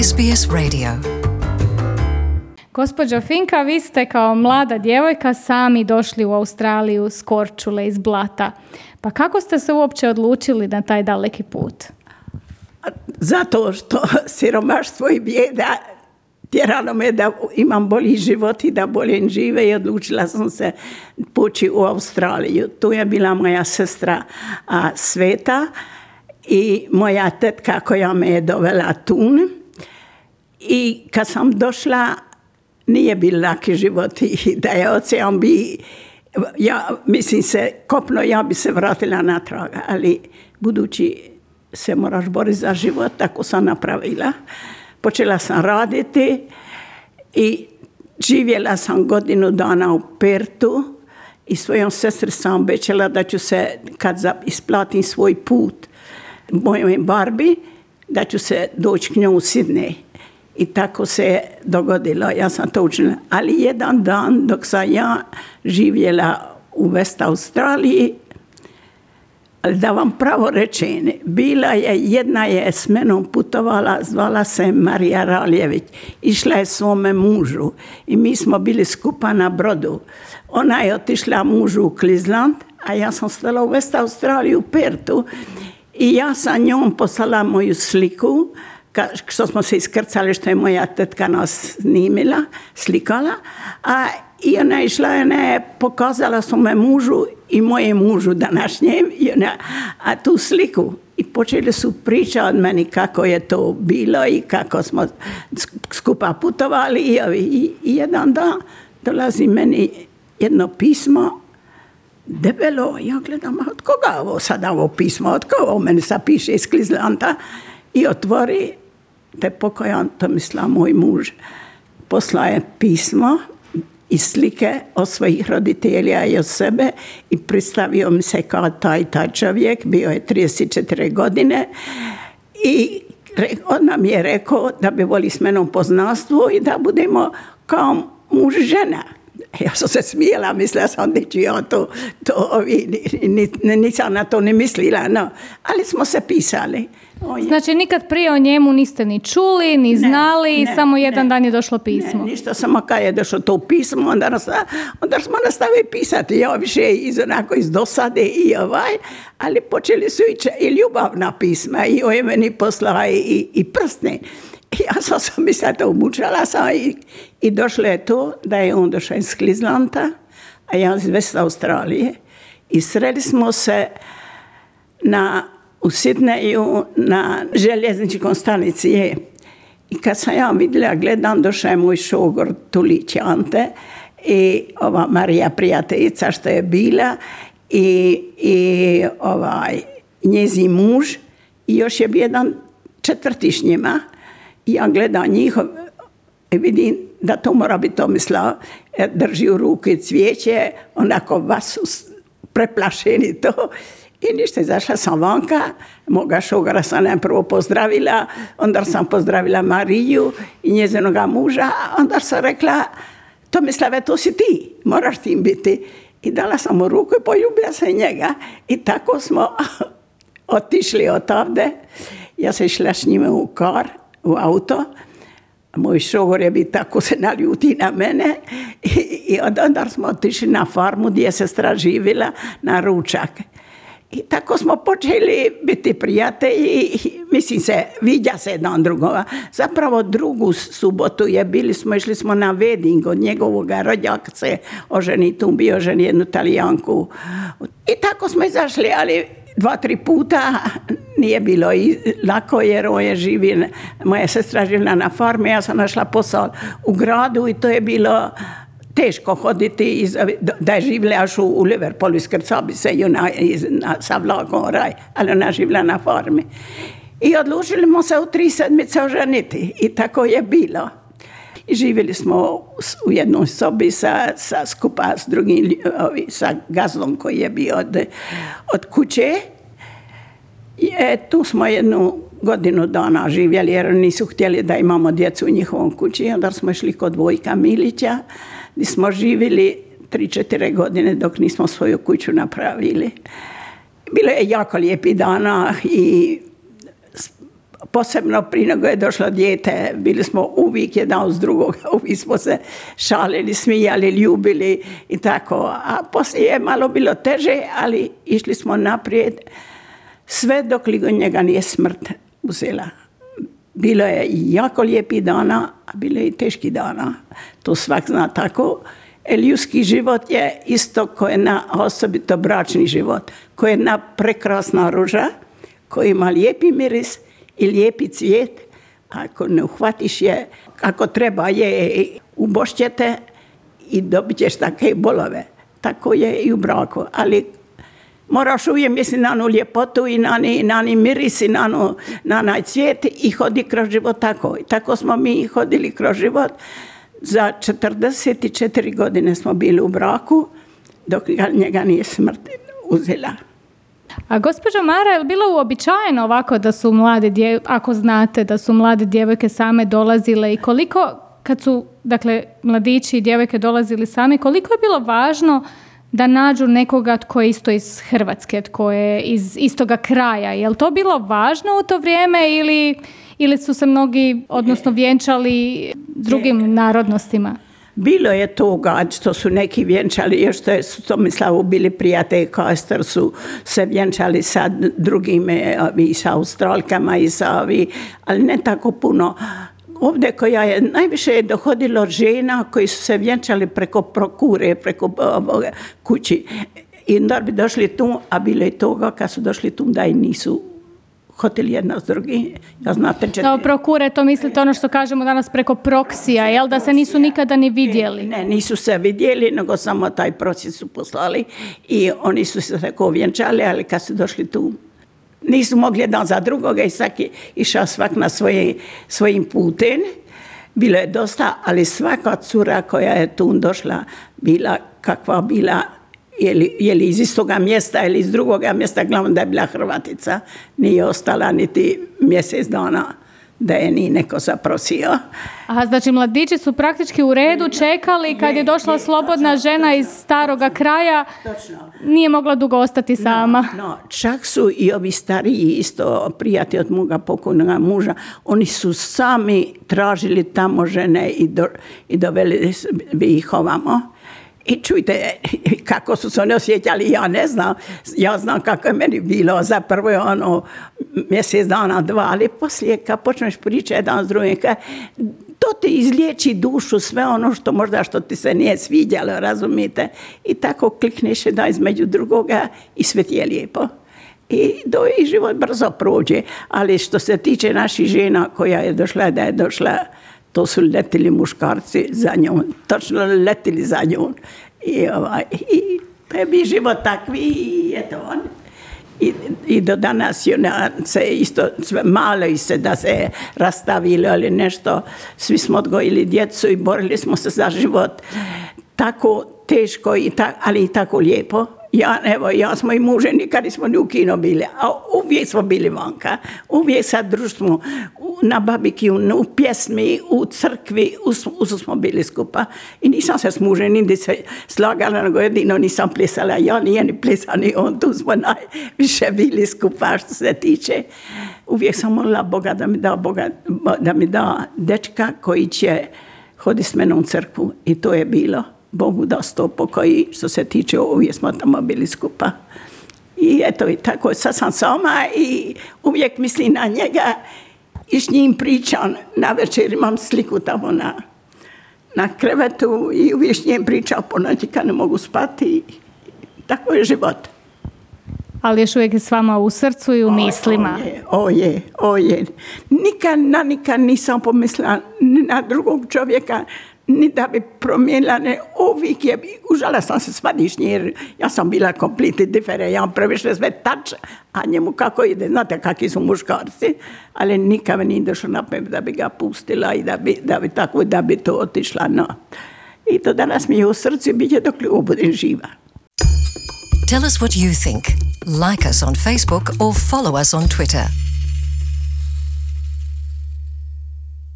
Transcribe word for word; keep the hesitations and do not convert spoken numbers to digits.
S B S Radio. Gospođo Finka, vi ste kao mlada djevojka sami došli u Australiju s Korčule, iz Blata. Pa kako ste se uopće odlučili na taj daleki put? Zato što siromaštvo i bijeda tjeralo me da imam bolji život i da bolje žive i odlučila sam se poći u Australiju. Tu je bila moja sestra a, Sveta i moja tetka koja me je dovela tu. I kad sam došla, nije bil laki život i da je ocean bi, ja mislim se, kopno ja bi se vratila natrag, ali budući se moraš boriti za život, tako sam napravila. Počela sam raditi i živjela sam godinu dana u Pertu i svojom sestri sam obećala da ću se, kad isplatim svoj put mojoj Barbi, da ću se doći k njoj u Sidney. I tako se dogodilo, ja sam to učinila. Ali jedan dan dok sam ja živjela u West Australiji, da vam pravo rečem, bila je, jedna je s menom putovala, zvala se Marija Raljević, išla je svome mužu i mi smo bili skupa na brodu. Ona je otišla mužu u Queensland, a ja sam stala u West Australiji u Pertu i ja sam njom poslala moju sliku, što smo se iskrcali, što je moja tetka nas snimila, slikala, a i ona je išla, ona je pokazala svome mužu i moje mužu današnjem, i ona, a tu sliku. I počeli su pričati od meni kako je to bilo i kako smo skupa putovali. I, i, i jedan dan dolazi meni jedno pismo, debelo, ja gledam, od koga ovo sada ovo pismo, od koga ovo meni sad piše iz Queenslanda, i otvori, te pokojan Tomislav, moj muž, poslao je pismo i slike od svojih roditelja i od sebe i predstavio mi se kao taj, taj čovjek, bio je trideset četiri godine i on nam je rekao da bi voli s menom poznanstvo i da budemo kao muž žena. Ja sam se smijela, mislila sam da ću ja to, to nisam na to ne mislila, no. Ali smo se pisali. Znači nikad prije o njemu niste ni čuli, ni znali, ne, ne, samo jedan ne, dan je došlo pismo. Ne, ništa, samo kad je došlo to pismo, onda, nas, onda smo nastavili pisati. Ja više iz, onako iz dosade i ovaj, ali počeli su i, i ljubavna pisma i on je meni poslala i, i, i prstne. Ja sam se mislila to umučala sam i, i došlo je to da je on došao iz Queenslanda, a ja iz West Australije i sreli smo se na, u Sidneju na željezničkom stanici je. I kad sam ja vidjela, gledam, došao je moj šogor Tulić Ante i ova Marija prijateljica što je bila i, i ovaj, njezin muž i još je bio jedan četvrti s njima. I ja gledam njihov i vidim da to mora biti Tomislav, drži u ruke cvijeće, onako vas preplašeni to. I ništa, izašla sam vanka, moga šogara sam najprvo pozdravila, onda sam pozdravila Mariju i njezinoga muža, onda sam rekla, Tomislave, to si ti, moraš tim biti. I dala sam mu ruku i poljubila se njega. I tako smo otišli odavde. Ja sam išla s njima u kar, u auto. Moj šogor je bi tako se naljuti na mene i, i onda smo otišli na farmu gdje je sestra živjela na ručak. I tako smo počeli biti prijatelji, mislim se, vidja se jedan drugova. Zapravo drugu subotu je bili smo, išli smo na wedding od njegovog rođaka se oženi, tu bio ženi jednu Talijanku. I tako smo izašli, ali dva, tri puta nije bilo i lako jer on je živio, moja sestra živjela na farmi, ja sam našla posao u gradu i to je bilo teško hoditi, iz, da je živjela još u, u Liverpoolu, iskrcao bi se i ona iz, na, sa vlakom raj, ali ona živjela na farmi. I odlučili smo se u tri sedmice oženiti i tako je bilo. I živjeli smo u jednoj sobi sa, sa skupa s drugim, sa gazdom koji je bio od, od kuće. I e, tu smo jednu godinu dana živjeli jer nisu htjeli da imamo djecu u njihovom kući. Onda smo išli kod Vojka Milića gdje smo živjeli tri četiri godine dok nismo svoju kuću napravili. Bilo je jako lijepi dana i posebno prije nego je došlo dijete, bili smo uvijek jedan uz drugoga, uvijek smo se šalili, smijali, ljubili i tako. A poslije je malo bilo teže, ali išli smo naprijed sve dok li njega nije smrt uzela. Bilo je i jako lijepi dana, a bilo je i teški dana. To svak zna tako. Ljudski život je isto ko jedna, osobito bračni život, ko je jedna prekrasna ruža, koji ima lijepi miris i lijepi cvijet. Ako ne uhvatiš je, ako treba je, ubošćete i dobit ćeš takve bolove. Tako je i u braku. Ali moraš uvijek misliti na onu ljepotu i na ni, na ni miris i na, nu, na onaj cvijet i hodi kroz život tako. I tako smo mi hodili kroz život. Za četrdeset četiri godine smo bili u braku, dok njega nije smrt uzela. A gospođo Mara, je li bilo uobičajeno ovako da su mlade djevojke, ako znate da su mlade djevojke same dolazile i koliko, kad su, dakle, mladići i djevojke dolazili sami, koliko je bilo važno da nađu nekoga tko je isto iz Hrvatske, tko je iz istoga kraja? Je li to bilo važno u to vrijeme ili, ili su se mnogi, odnosno vjenčali drugim narodnostima? Bilo je toga što su neki vjenčali, još što su Tomislavu bili prijatelji, Kastor su se vjenčali sa drugim, i sa Australkama i sa ovi, ali ne tako puno. Ovdje koja je, najviše je dohodilo žena koji su se vjenčali preko prokure, preko uh, kući. I onda bi došli tu, a bilo je toga kad su došli tu da i nisu hoteli jedna s drugim. Ja znate četiri. No, prokure, to mislite ono što kažemo danas preko proksija, jel da se nisu nikada ni vidjeli? Ne, ne, nisu se vidjeli, nego samo taj proces su poslali i oni su se tako vjenčali, ali kad su došli tu, nisu mogli jedan za drugoga i svaki išao svak na svoje, svojim putem. Bilo je dosta, ali svaka cura koja je tu došla bila kakva bila, je li, je li iz istoga mjesta ili iz drugoga mjesta, glavno da je bila Hrvatica, nije ostala niti mjesec dana da je ni neko zaprosio. Aha, znači mladići su praktički u redu čekali kad je došla slobodna žena iz staroga kraja, nije mogla dugo ostati sama. No, no, čak su i ovi stariji isto prijatelji od moga pokojnoga muža, oni su sami tražili tamo žene i, do, i doveli bi ih ovamo. I čujte kako su se oni osjećali, ja ne znam, ja znam kako je meni bilo, za prvo je ono mjesec dana, dva, ali poslije kad počneš pričati jedan s drugim, to ti izliječi dušu, sve ono što možda što ti se nije sviđalo, razumijete, i tako klikneš da između drugoga i sve ti je lijepo. I do i život brzo prođe, ali što se tiče naših žena koja je došla, da je došla, to su letili muškarci za njom, točno letili za njom. I, ovaj, i to je bi život takvi i eto on. I, i do danas je se isto sve malo i se da se rastavili ali nešto. Svi smo odgojili djecu i borili smo se za život. Tako teško, i ta, ali i tako lijepo. Ja, evo, ja smo i muže, nikad nismo ni u kino bili, a uvijek smo bili vanka. Uvijek sa društvom, na babikiju, u pjesmi, u crkvi, u smo bili skupa. I nisam se s mužem niti se slagala, nego jedino nisam plesala. Ja nije ni plesala, ni on, tu smo najviše bili skupa što se tiče. Uvijek sam molila Boga da mi da, Boga, da mi da dečka koji će hoditi s menom u crkvu. I to je bilo. Bogu da sto pokoji, što se tiče, uvijek smo tamo bili skupa. I eto, i tako, sad sam sama i uvijek mislim na njega i s njim pričam. Na večer imam sliku tamo na, na krevetu i uvijek s njim pričam po noći kad ne mogu spati. Tako je život. Ali još uvijek je s vama u srcu i u mislima. O je, o je, o je. Nikad, na nikad nisam pomislila na drugog čovjeka, ni da bi promijenila, ne, uvijek je, užala sam se svadišnji, jer ja sam bila completely different, ja previše sve tač, a njemu kako ide, znate kakvi su muškarci, ali nikad mi nije došlo na pamet da bi ga pustila i da bi, da bi tako, da bi to otišla, no. I to danas mi je u srcu i bit će dok li budem živa. Tell us what you think. Like us on Facebook or follow us on Twitter.